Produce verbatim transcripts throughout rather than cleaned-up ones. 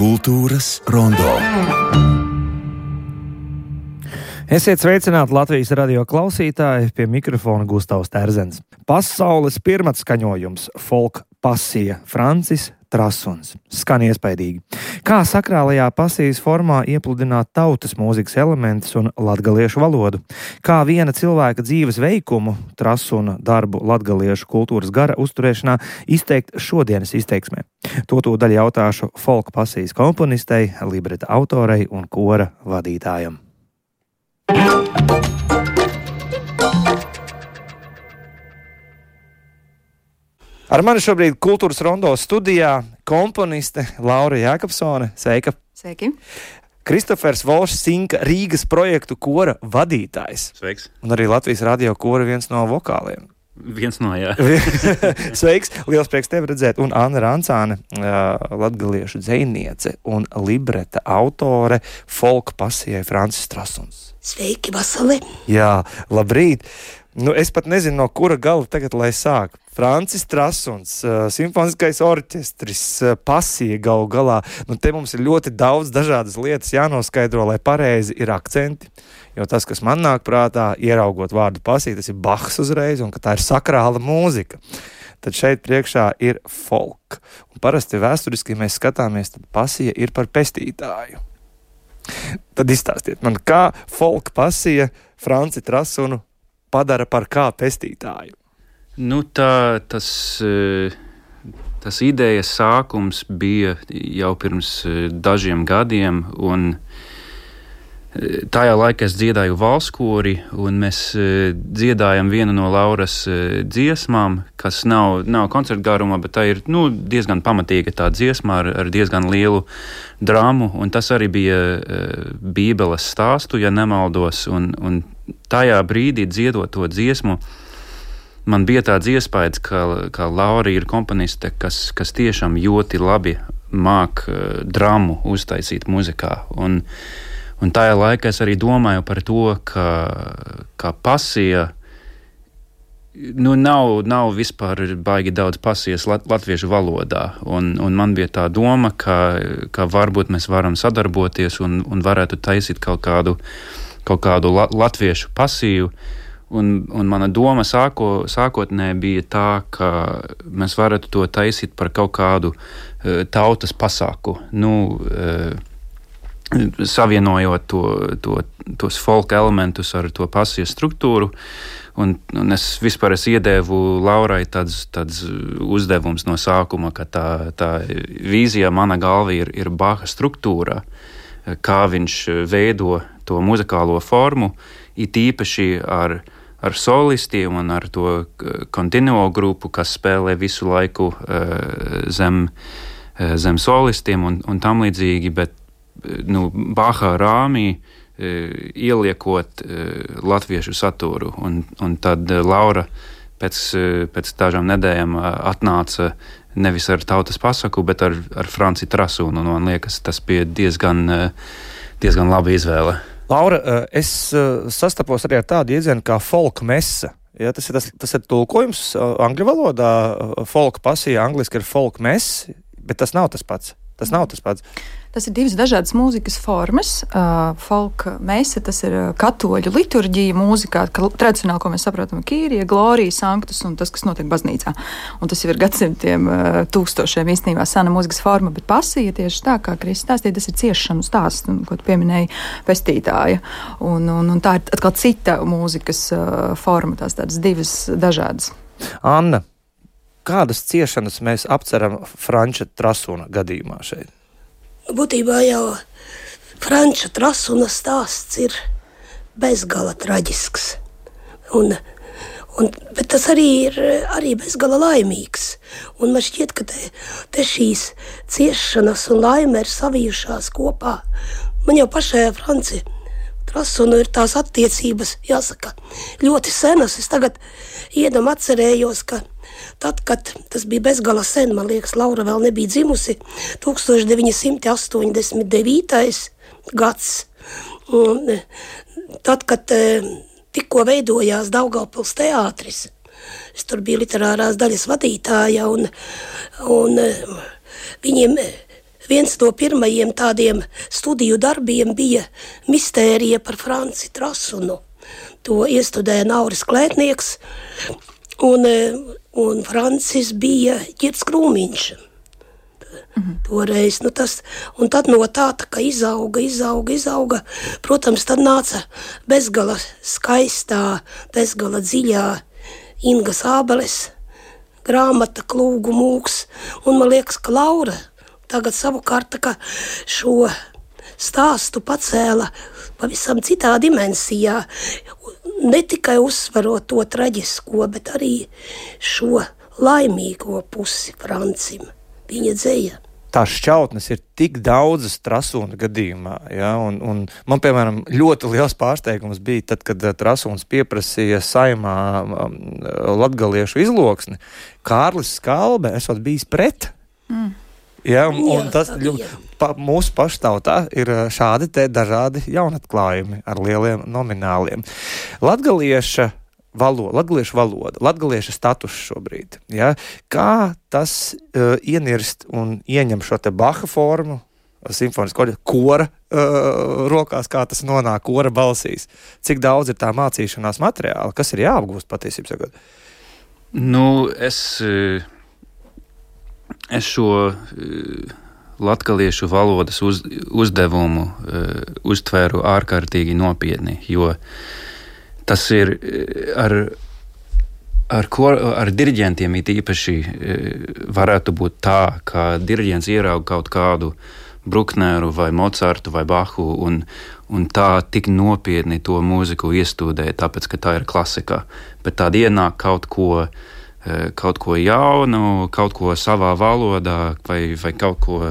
Kultūras rondo. Esiet sveicināti Latvijas radio klausītāji, pie mikrofona Gustavs Terzens. Pasaules pirmatskaņojums folk pasija Francis Trasuns. Skan iespaidīgi. Kā sakrālajā pasijas formā iepludināt tautas mūzikas elementus un latgaliešu valodu? Kā viena cilvēka dzīves veikumu, Trasuna darbu latgaliešu kultūras gara uzturēšanā izteikt šodienas izteiksmē? To tūdaļ jautāšu folk pasijas komponistei, libreta autorei un kora vadītājam. Ar mani šobrīd kultūras rondo studijā komponiste Laura Jākapsone. Sveika! Sveiki! Kristofers Volšs Sinka Rīgas projektu kora vadītājs. Sveiks! Un arī Latvijas radio kora viens no vokāliem. Viens no, jā. Sveiks! Liels prieks tevi redzēt. Un Anna Rancāne, latgaliešu dzejniece un libreta autore folk pasijai Francis Trasuns. Sveiki, Vasali! Jā, labrīt! Nu, es pat nezinu, no kura gala tagad, lai sāk. Francis Trasuns, uh, simfoniskais orķestris, uh, pasija galu galā. Nu, te mums ir ļoti daudz dažādas lietas jānoskaidro, lai pareizi ir akcenti. Jo tas, kas man nāk prātā, ieraugot vārdu pasija, tas ir Bachs uzreiz, un ka tā ir sakrāla mūzika. Tad šeit priekšā ir folk. Un parasti vēsturiski, ja mēs skatāmies, tad pasija ir par pestītāju. Tad izstāstiet man, kā folk pasija Franci Trasunu padara par kā pestītāju? Nu, tā, tas, tas idejas sākums bija jau pirms dažiem gadiem, un tajā laikā es dziedāju valskori, un mēs dziedājam vienu no Lauras dziesmām, kas nav, nav koncertgarumā, bet tā ir nu, diezgan pamatīga tā dziesma ar, ar diezgan lielu drāmu, un tas arī bija Bībeles stāstu, ja nemaldos, un, un tajā brīdī dziedot to dziesmu, man bija tāds iespējas, ka, ka Laura ir komponiste, kas, kas tiešām ļoti labi māk uh, dramu uztaisīt muzikā. Un, un tajā laikā es arī domāju par to, ka, ka pasija, nu nav, nav vispār baigi daudz pasijas lat, latviešu valodā. Un, un man bija tā doma, ka, ka varbūt mēs varam sadarboties un, un varētu taisīt kaut kādu, kaut kādu la, latviešu pasiju. Un, un mana doma sāko, sākotnēji bija tā, ka mēs varētu to taisīt par kaut kādu uh, tautas pasāku, nu, uh, savienojot to, to, tos folk elementus ar to pasijas struktūru. Un, un es vispār es iedēvu Laurai tāds, tāds uzdevums no sākuma, ka tā, tā vīzija mana galva ir, ir Baha struktūra, kā viņš veido to muzikālo formu, it īpaši ar ar solistiem un ar to kontinuo grupu, kas spēlē visu laiku uh, zem, uh, zem solistiem un, un tam līdzīgi, bet nu, Baha rāmī uh, ieliekot uh, latviešu saturu. Un, un tad uh, Laura pēc, uh, pēc dažām nedēļām uh, atnāca nevis ar tautas pasaku, bet ar, ar Franci Trasunu. Un man liekas, tas bija diezgan, uh, diezgan laba izvēle. Laura, es sastapos arī ar tādu iedzienu kā folk mesa. Ja, tas, ir, tas, tas ir tulkojums angļu valodā. Folk pasija angliski ir folk mess, bet tas nav tas pats. Tas nav tas pats. Tas ir divas dažādas mūzikas formas. Uh, folk mesa, tas ir katoļu liturģija mūzikā, ka tradicionāli, ko mēs saprotam, Kīrija, Glorija, Sanktus un tas, kas notiek baznīcā. Un tas jau ir gadsimtiem, uh, tūkstošiem īstenībā sena mūzikas forma, bet pasija tieši tā, kā Kristis stāstīja, tas ir ciešanu stāsts, ko tu pieminēji, pestītāja. Un, un, un tā ir atkal cita mūzikas uh, forma, tās tādas divas dažādas. Anna, kādas ciešanas mēs apceram Franča Trasuna gadījumā šeit? Būtībā jau Franča Trasuna stāsts ir bezgala traģisks. Un, un, bet tas arī ir arī bezgala laimīgs. Un man šķiet, ka te, te šīs ciešanas un laime ir savijušās kopā. Man jau pašai Franci Trasunu ir tās attiecības, jāsaka, ļoti senas. Es tagad iedam atcerējos, ka tad, kad tas bija bezgala sen, man liekas, Laura vēl nebija dzimusi, tūkstoš deviņi simti astoņdesmit devītais gads. Un, tad, kad tikko veidojās Daugavpils teātris, es tur biju literārās daļas vadītāja, un, un viņiem viens no pirmajiem tādiem studiju darbiem bija mistērija par Franci Trasunu. To iestudēja Nauris Klētnieks, un, un Francis bija Ģirds Krūmiņš. Mhm. Toreiz, nu tas, un tad no tā, tā kā izauga, izauga, izauga, protams, tad nāca bezgala skaistā, bezgala dziļā Ingas Ābeles grāmata Klūgu mūks, un man liekas, ka Laura tagad savukārt tā kā šo stāstu pacēla pavisam citā dimensijā, ne tikai uzsverot to traģisko, bet arī šo laimīgo pusi Francim, viņa dzeja. Tās šķautnes ir tik daudzas Trasūna gadījumā, ja, un, un man, piemēram, ļoti liels pārsteigums bija tad, kad Trasūns pieprasīja Saeimā um, latgaliešu izloksni. Kārlis Skalbe esot bijis pret. Mm. Ja, un, un tas pa, mūsu paštautā ir šādi te dažādi jaunatklājumi ar lieliem nomināliem. Latgalieša valoda, latgaliešu valoda, latgalieša status šobrīd. Ja? Kā tas uh, ienirst un ieņem šo te Baha formu, simfonisko kora uh, rokās, kā tas nonāk kora balsīs? Cik daudz ir tā mācīšanās materiāla, kas ir jāapgūst patiesībā sakot? Nu, es, es šo latgaliešu valodas uz, uzdevumu uh, uztvēru ārkārtīgi nopietni, jo tas ir ar, ar, ko, ar diriģentiem it īpaši varētu būt tā, ka diriģents ierauga kaut kādu Brukneru vai Mocartu vai Bahu un, un tā tik nopietni to mūziku iestudē, tāpēc, ka tā ir klasika. Bet tād ienāk kaut ko, kaut ko jaunu, kaut ko savā valodā vai, vai kaut ko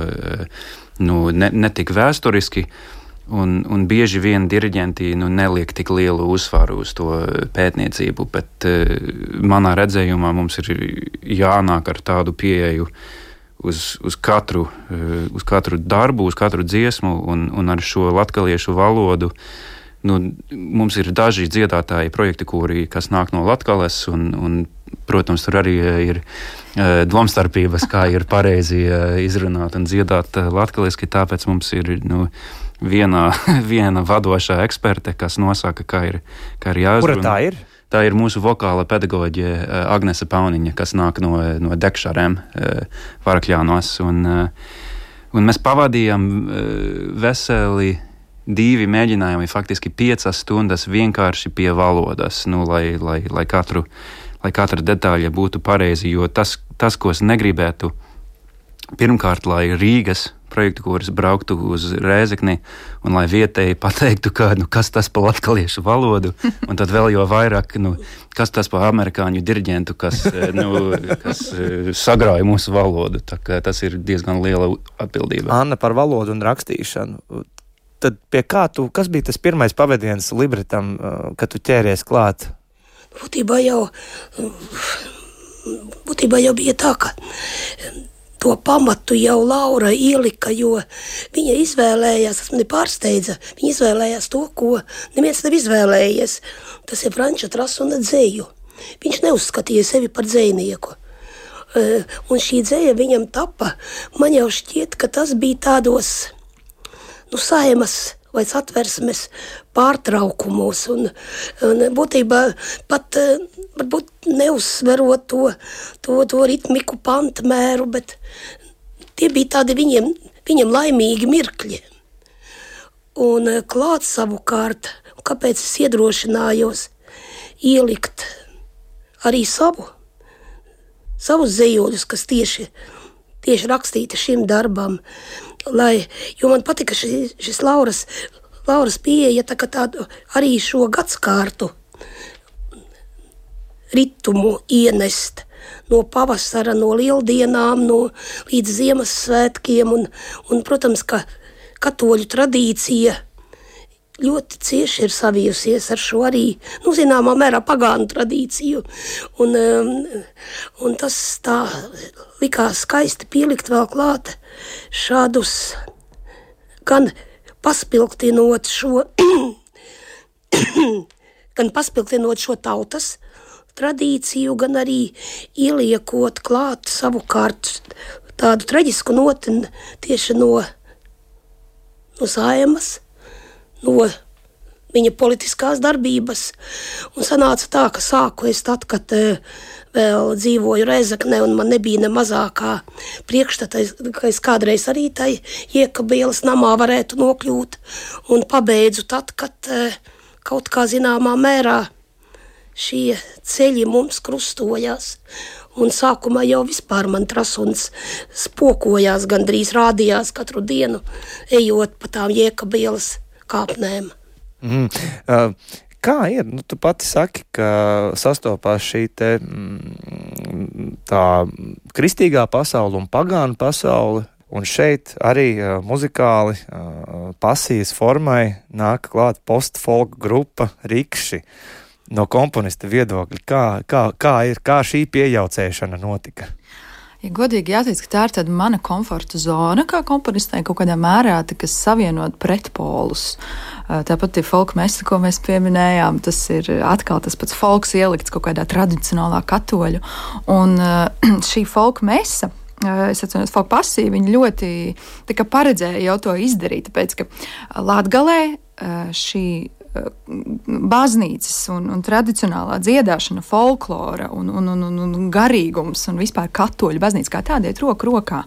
nu, ne, ne tik vēsturiski. Un, un bieži vien diriģenti nu, neliek tik lielu uzsvaru uz to pētniecību, bet uh, manā redzējumā mums ir jānāk ar tādu pieeju uz, uz, katru, uh, uz katru darbu, uz katru dziesmu un, un ar šo latgaliešu valodu. Nu, mums ir daži dziedātāji projekti, kuri, kas nāk no Latgales, un, un, protams, tur arī ir uh, domstarpības, kā ir pareizi uh, izrunāt un dziedāt uh, latgaliski, tāpēc mums ir nu, viena, viena vadošā eksperte, kas nosaka, kā ir, kā ir jāizrunā. Kura tā ir? Tā ir mūsu vokāla pedagoģe uh, Agnese Pauniņa, kas nāk no, no Dekšarēm uh, Varakļānos. Un, uh, un mēs pavadījām uh, veseli divi mēģinājumi, faktiski piecas stundas vienkārši pie valodas, nu, lai, lai, lai, katru, lai katra detaļa būtu pareizi, jo tas, tas, ko es negribētu, pirmkārt, lai Rīgas projektu, kuras brauktu uz Rēzekni, un lai vietēji pateiktu, ka, nu, kas tas pa latgaliešu valodu, un tad vēl jo vairāk, nu, kas tas pa amerikāņu diriģentu, kas, nu, kas sagrāja mūsu valodu. Tā kā tas ir diezgan liela atbildība. Anna, par valodu un rakstīšanu. Tad pie kā tu, kas bija tas pirmais pavadiens libretam, kad tu ķēries klāt? Būtībā jau, būtībā jau bija tā, ka to pamatu jau Laura ielika, jo viņa izvēlējās, tas mani pārsteidza, viņa izvēlējās to, ko neviens nav izvēlējies. Tas ir Franča Trasuna dzeju. Viņš neuzskatīja sevi par dzejnieku. Un šī dzeja viņam tapa, man jau šķiet, ka tas bija tādos, nu, Saeimas vai Satversmes pārtraukumos, un, un būtībā pat varbūt neuzsverot to, to, to ritmiku pantmēru, bet tie bija tādi viņiem, viņam laimīgi mirkļi. Un klāt savukārt, kāpēc es iedrošinājos ielikt arī savu, savus zejoļus, kas tieši, tieši rakstīti šim darbam, lai, jo man patika šis, šis Lauras, Lauras pieeja tā, tādu arī šo gadskārtu ritumu ienest no pavasara, no lieldienām, no līdz Ziemassvētkiem, un, un, protams, ka katoļu tradīcija ļoti cieši ir savijusies ar šo arī, nu, zināmā mērā pagānu tradīciju, un, un tas tā likās skaisti pielikt vēl klāt šādus, gan paspilgtinot šo, gan paspilgtinot šo tautas tradīciju, gan arī ieliekot klāt savukārt tādu traģisku noti tieši no, no Saimas, no viņa politiskās darbības. Un sanāca tā, ka sāku es tad, kad uh, vēl dzīvoju Rēzeknē un man nebija ne mazākā priekšstata, ka es kādreiz arī tai Iekabielas namā varētu nokļūt. Un pabeidzu tad, kad uh, kaut kā zināmā mērā šie ceļi mums krustojās. Un sākumā jau vispār man Trasuns spokojās, gandrīz rādījās katru dienu, ejot pa tām Iekabielas kāpnēm. Mm. Uh, kā ir? Nu, tu pati saki, ka sastopās šī te mm, tā kristīgā pasaule un pagānu pasaule, un šeit arī uh, muzikāli uh, pasijas formai nāk klāt post-folk grupa Rikši. No komponista viedokļa, kā, kā, kā ir, kā šī piejaucēšana notika? Ja godīgi jāteic, ka tā ir tāda mana komforta zona, kā komponistē kaut kādā mērā, tā, kas savienot pretpolus. Tāpat ir folk mesa, ko mēs pieminējām, tas ir atkal tas pats folks ielikts kaut kādā tradicionālā katoļu. Un šī folk mesa, es atceros, folk pasija, viņi ļoti tā kā paredzēja jau to izdarīt, tāpēc, ka Latgalē šī baznīcas un, un tradicionālā dziedāšana, folklora un, un, un, un garīgums un vispār katoļu baznīca kā tāda iet roku rokā.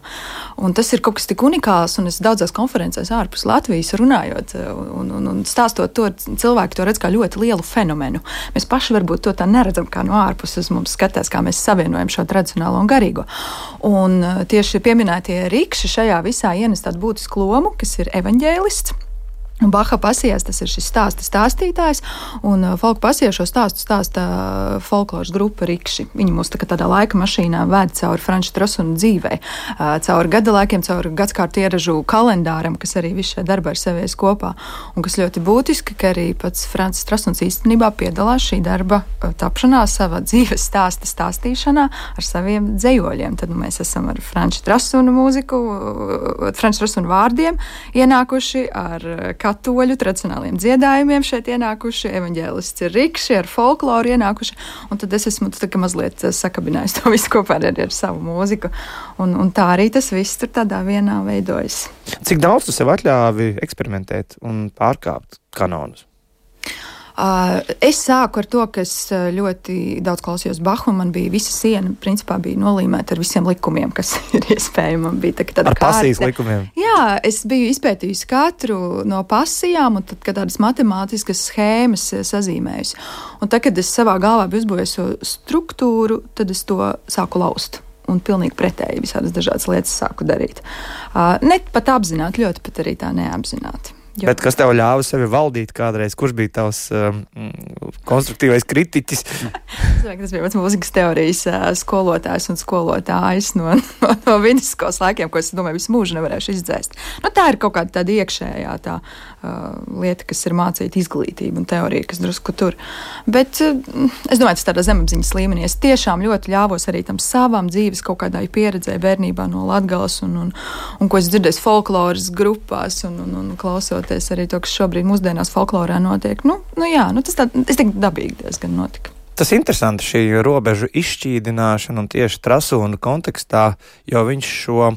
Un tas ir kaut kas tik unikāls, un es daudzās konferencēs ārpus Latvijas runājot un, un, un stāstot to, cilvēki to redz kā ļoti lielu fenomenu. Mēs paši varbūt to tā neredzam, kā no ārpuses mums skatās, kā mēs savienojam šo tradicionālo un garīgo. Un tieši pieminētie Rikši šajā visā ienes tādu būtisku lomu, kas ir evaņģēlists. Un Baha pasijās tas ir šis stāsta stāstītājs, un uh, folk pasijā šo stāstu stāsta uh, folkloras grupa Rikši. Viņi mūs tā, tādā laika mašīnā ved cauri Franča Trasuna dzīvei, uh, cauri gada laikiem, cauri gadskārtu ieražu kalendāram, kas arī viss šajā darbā ir savies kopā. Un kas ļoti būtiski, ka arī pats Francis Trasuns īstenībā piedalās šī darba uh, tapšanā, savā dzīves stāsta stāstīšanā ar saviem dzejoļiem. Tad nu, mēs esam ar Franča Trasuna mūziku, uh, Franča Trasuna vārdiem ienākuši ar uh, katoļu tradicionāliem dziedājumiem šeit ienākuši, evaņģēlists ir Rikši, ar folkloru ienākuši, un tad es esmu tā kā mazliet sakabinājis to visu kopā ar, ar savu mūziku, un, un tā arī tas viss tur tādā vienā veidojas. Cik daudz tu sev atļāvi eksperimentēt un pārkāpt kanonus? Uh, es sāku ar to, ka es ļoti daudz klausījos Bahu, un man bija visa siena, principā bija nolīmēta ar visiem likumiem, kas ir iespējami. Man bija tā, tāda ar kārta. pasijas likumiem? Jā, es biju izpētījusi katru no pasijām, un tad, kad tādas matemātiskas schēmas sazīmējusi. Un tad, kad es savā galvā biju uzbūvējusi struktūru, tad es to sāku laust. Un pilnīgi pretēji visādas dažādas lietas sāku darīt. Uh, ne pat apzināti, ļoti pat arī tā neapzināti. Jo. Bet kas tev ļāva sevi valdīt kādreiz? Kurš bija tavs um, konstruktīvais kritiķis? Es domāju, ka tas bija mans mūzikas teorijas uh, skolotājs un skolotājs no, no, no vidusskolas laikiem, ko es domāju visu mūžu nevarēšu izdzēst. Nu, tā ir kaut kāda tāda iekšējā tā uh, lieta, kas ir mācīta izglītība un teorija, kas drusku tur. Bet uh, es domāju, tas tādā zemapziņas līmenī. Es tiešām ļoti ļāvos arī tam savam dzīves kaut kādai pieredzēji bērnībā no Latgales un, un, un ko es dzirdēju folkloras grupās un, un, un klausot arī to, kas šobrīd mūsdienās folklorā notiek. Nu, nu jā, nu tas tā, es teiktu, dabīgi diezgan notika. Tas interesanti šī robežu izšķīdināšana un tieši Trasuna kontekstā, jo viņš šo,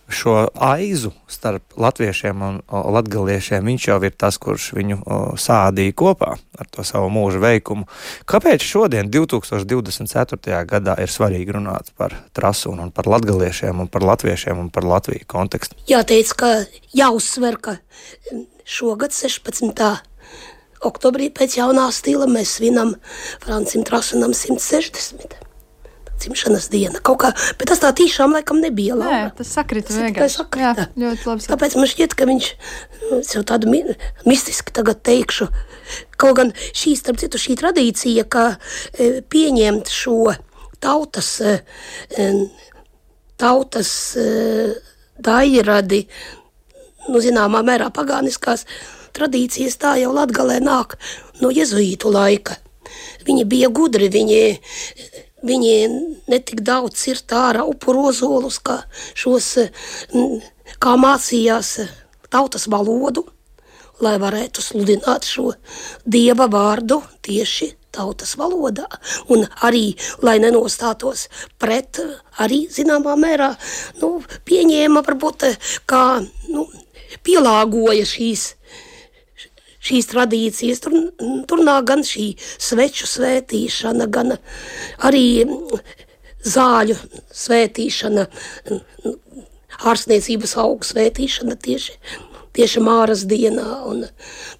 šo aizu starp latviešiem un latgaliešiem, viņš jau ir tas, kurš viņu o, sādīja kopā ar to savu mūža veikumu. Kāpēc šodien, divtūkstoš divdesmit ceturtajā gadā, ir svarīgi runāt par Trasunu un par latgaliešiem un par latviešiem un par Latviju kontekstu? Jāteic, ka jāuzsver, ka šogad sešpadsmitā oktobrī pēc jaunā stila mēs svinam Francim Trasunam simt sešdesmit. Dzimšanas diena. Kaut kā, bet tas tā tiešām laikam nebija. Laura. Nē, tas sakrita tas vienkārši. Sakrita. Jā, ļoti labi. Tāpēc man šķiet, ka viņš, es jau tādu mi, mistiski tagad teikšu, kaut gan šī, starp citu, šī tradīcija, ka e, pieņemt šo tautas, e, tautas e, dairadi, nu, zināmā mērā pagāniskās tradīcijas, tā jau Latgalē nāk no jezuītu laika. Viņi bija gudri, viņi Viņi netik daudz cirta ārā upuru ozolus, kā šos, kā mācījās tautas valodu, lai varētu sludināt šo dieva vārdu tieši tautas valodā, un arī, lai nenostātos pret, arī zināmā mērā, nu, pieņēma varbūt kā, nu, pielāgoja šīs, šīs tradīcijas. Tur, tur nāk gan šī sveču svētīšana, gan arī zāļu svētīšana, ārstniecības augu svētīšana tieši, tieši Māras dienā, un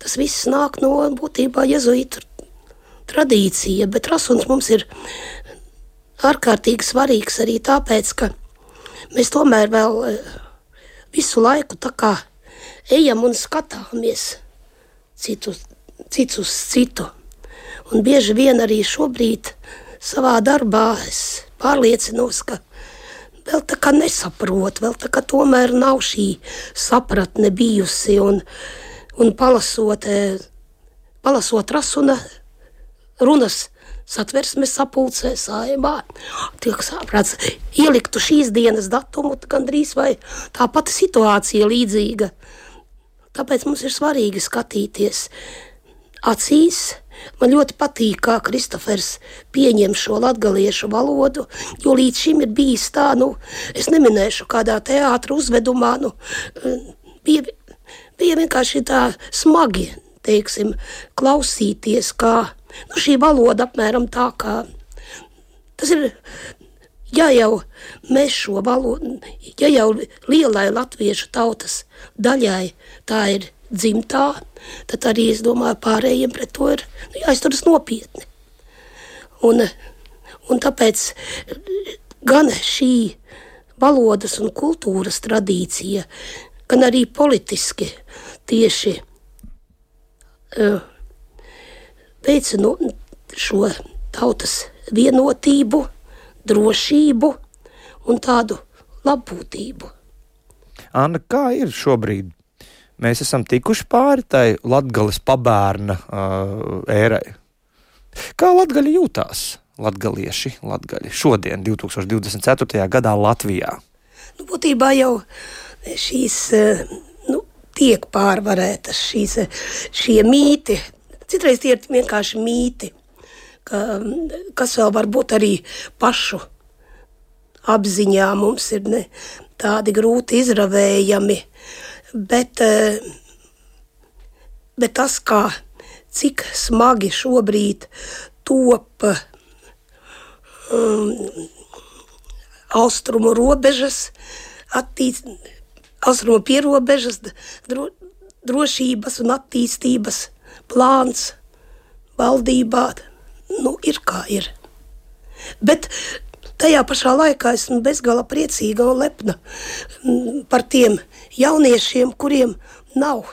tas viss nāk no būtībā jezuītu tradīcija, bet Trasuns mums ir ārkārtīgi svarīgs arī tāpēc, ka mēs tomēr vēl visu laiku tā kā ejam un skatāmies citu, citu uz citu. Un bieži vien arī šobrīd savā darbā es pārliecinos, ka vēl tā kā nesaprot, vēl tā kā tomēr nav šī sapratne bijusi, un, un palasot, palasot Trasuna runas satversmes sapulcē Saeimā, tiek saprāts, ieliktu šīs dienas datumu, gandrīz vai tā pati situācija līdzīga. Tāpēc mums ir svarīgi skatīties acīs. Man ļoti patīk, kā Kristofers pieņem šo latgaliešu valodu, jo līdz šim ir bijis tā, nu, es neminēšu kādā teātra uzvedumā, nu, bija, bija vienkārši tā smagi, teiksim, klausīties, kā, nu, šī valoda apmēram tā, kā, tas ir, ja jau mēs šo valodu, ja jau lielai latviešu tautas daļai tā ir dzimtā, tad arī, es domāju, pārējiem pret to ir jāizturas nopietni. Un, un tāpēc gan šī valodas un kultūras tradīcija, gan arī politiski tieši uh, veicina šo tautas vienotību, drošību un tādu labbūtību. Anna, kā ir šobrīd? Mēs esam tikuši pāri tai latgales pabērna uh, ērai. Kā latgaļi jūtās, latgalieši, latgaļi šodien, divtūkstoš divdesmit ceturtajā gadā Latvijā? Nu, būtībā jau šīs, nu, tiek pārvarētas šīs, šie mīti. Citreiz tie ir vienkārši mīti, ka, kas vēl varbūt arī pašu apziņā mums ir ne, tādi grūti izravējami. Bet, bet tas, kā, cik smagi šobrīd top um, austrumu robežas, attīst, austrumu pierobežas, dro, drošības un attīstības plāns valdībā, nu, ir kā ir. Bet tajā pašā laikā esmu bezgala priecīga un lepna par tiem jauniešiem, kuriem nav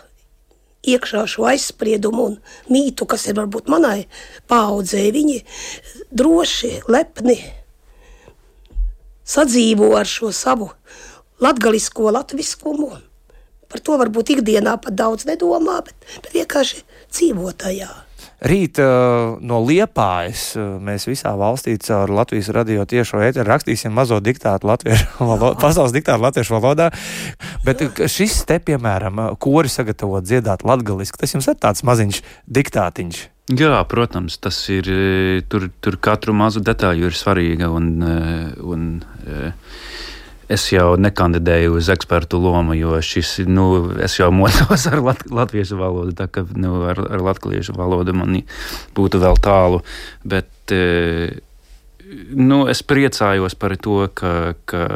iekšā šo aizspriedumu un mītu, kas ir varbūt manai paaudzē. Viņi droši, lepni sadzīvo ar šo savu latgalisko latviskumu. Par to varbūt ikdienā pat daudz nedomā, bet, bet vienkārši dzīvo tajā. Rīt uh, no Liepājas uh, mēs visā valstī caur Latvijas radio tiešo ēteru rakstīsim mazo diktātu latviešu valodā, pasaules diktātu latviešu valodā, bet Jā. Šis te, piemēram, kori sagatavot dziedāt latgaliski, tas jums ir tāds maziņš diktātiņš. Jā, protams, tas ir, tur, tur katru mazu detaļu ir svarīga, un, un es jau nekandidēju uz ekspertu lomu, jo šis, nu, es jau mocos ar lat, latviešu valodu, tā ka, nu, ar, ar latgaliešu valodu man būtu vēl tālu, bet, nu, es priecājos par to, ka, ka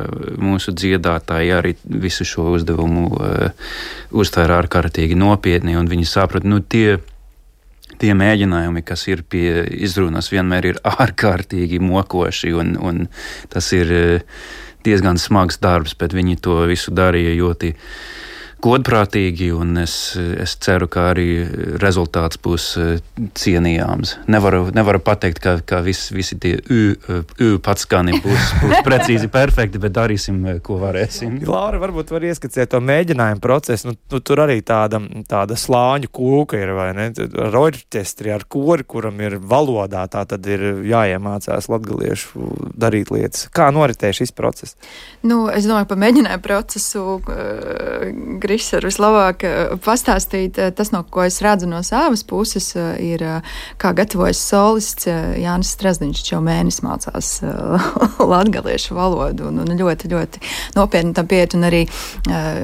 mūsu dziedātāji arī visu šo uzdevumu uh, uztver ārkārtīgi nopietni, un viņi saprot, nu, tie, tie mēģinājumi, kas ir pie izrunas, vienmēr ir ārkārtīgi mokoši, un, un tas ir uh, diezgan smags darbs, bet viņi to visu darīja ļoti godprātīgi, un es, es ceru, ka arī rezultāts būs cienījāms. Nevaru, nevaru pateikt, ka, ka vis, visi tie ū, ū patskani būs, būs precīzi perfekti, bet darīsim, ko varēsim. Laura, varbūt var ieskicēt to mēģinājumu procesu. Nu, nu, tur arī tāda, tāda slāņu kūka ir, vai ne? Ar orķestri, ar kori, kuram ir valodā, tā tad ir jāiemācās latgaliešu darīt lietas. Kā noritēja šis process? Nu, es domāju, par mēģinājumu procesu uh, viss var vislabāk pastāstīt. Tas, no ko es redzu no savas puses, ir, kā gatavojas solists Jānis Strazdiņš, jau mēnesis mācās latgaliešu valodu un, un ļoti, ļoti nopietni tam pieiet. Un arī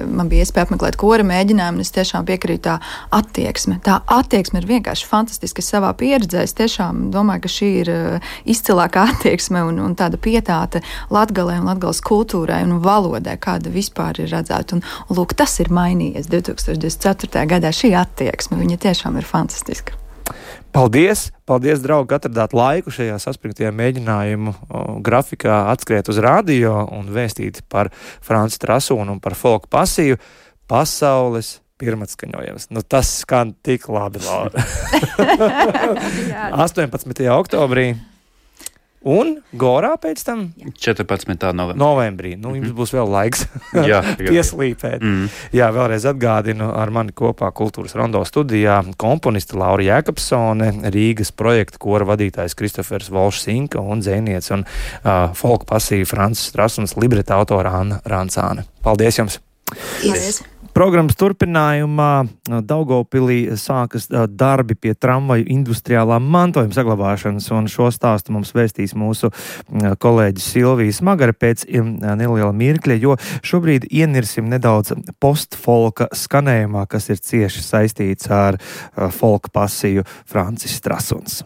man bija iespēja apmeklēt kora mēģinājumu, un es tiešām piekrītu tā attieksme. Tā attieksme ir vienkārši fantastiska savā pieredzē. Es tiešām domāju, ka šī ir izcilākā attieksme un, un tāda pietāte Latgalē un Latgales kultūrai un valodai, kāda vispār ir redzēta. Un, un lūk, tas ir mainījies divtūkstoš divdesmit ceturtajā gadā. Šī attieksme, viņa tiešām ir fantastiska. Paldies! Paldies, draugi, ka atradāt laiku šajā saspringtajā mēģinājumu o, grafikā atskriet uz radio un vēstīt par Franci Trasūnu un par folku pasiju pasaules pirmatskaņojums. Nu, tas skan tik labi, Laura. astoņpadsmitajā oktobrī. Un Gorā pēc tam? četrpadsmitā novembrī. Novembrī. Nu, jums būs vēl laiks jā, pieslīpēt. Mm. Jā, vēlreiz atgādinu, ar mani kopā Kultūras Rondo studijā komponiste Laura Jēkabsone, Rīgas projekta kora vadītājs Kristofers Volšs-Sinka un dzejniece un uh, folku pasīva Francis Trasuns, libreta autora Anna Rancāne. Paldies jums! Paldies! Programmas turpinājumā Daugavpilī sākas darbi pie tramvaju industriālā mantojuma saglabāšanas, un šo stāstu mums vēstīs mūsu kolēģis Silvija Smagara pēc neliela mirkļa, jo šobrīd ienirsim nedaudz postfolka skanējumā, kas ir cieši saistīts ar folka pasiju Francis Trasuns.